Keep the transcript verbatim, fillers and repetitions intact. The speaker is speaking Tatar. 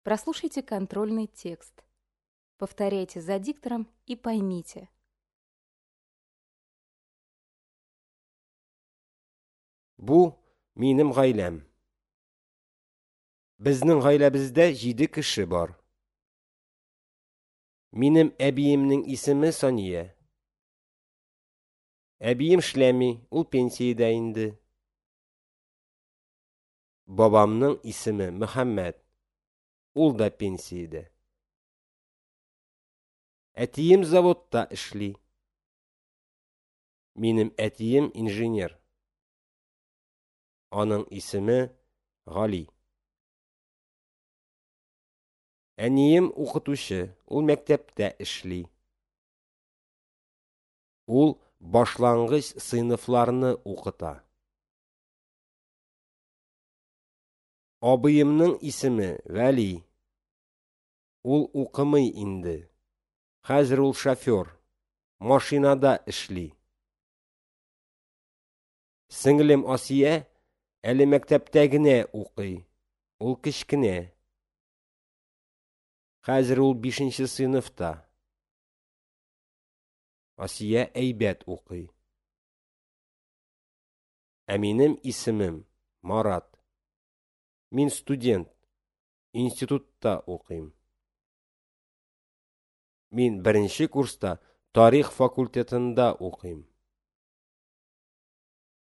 Прослушайте контрольный текст. Повторяйте за диктором и поймите. Бу минем гаиләм. Безнең гаиләбездә җиде кеше бар. Минем әбиемнең исеме Сания. Әбием эшләми, ул пенсиядә инде. Бабамның исеме Мөхәммәд. Ул да пенсиядә. Әтием заводта эшли. Минем әтием инженер. Аның исеме Гали. Әнием укытучы, ул мәктәптә эшли. Ул башлангыч сыйныфларны укыта. Абыемның исеме Вәли. Ул укымый инде. Хәзер ул шофер, машинада эшли. Сеңлем Асия әле мәктәптә генә укый. Ул кечкенә. Хәзер ул бишенче сыйныфта. Асия әйбәт укый. Ә минем исемем Марат. Мин студент, институтта укыйм. Мин беренче курста тарих факультетында укыйм.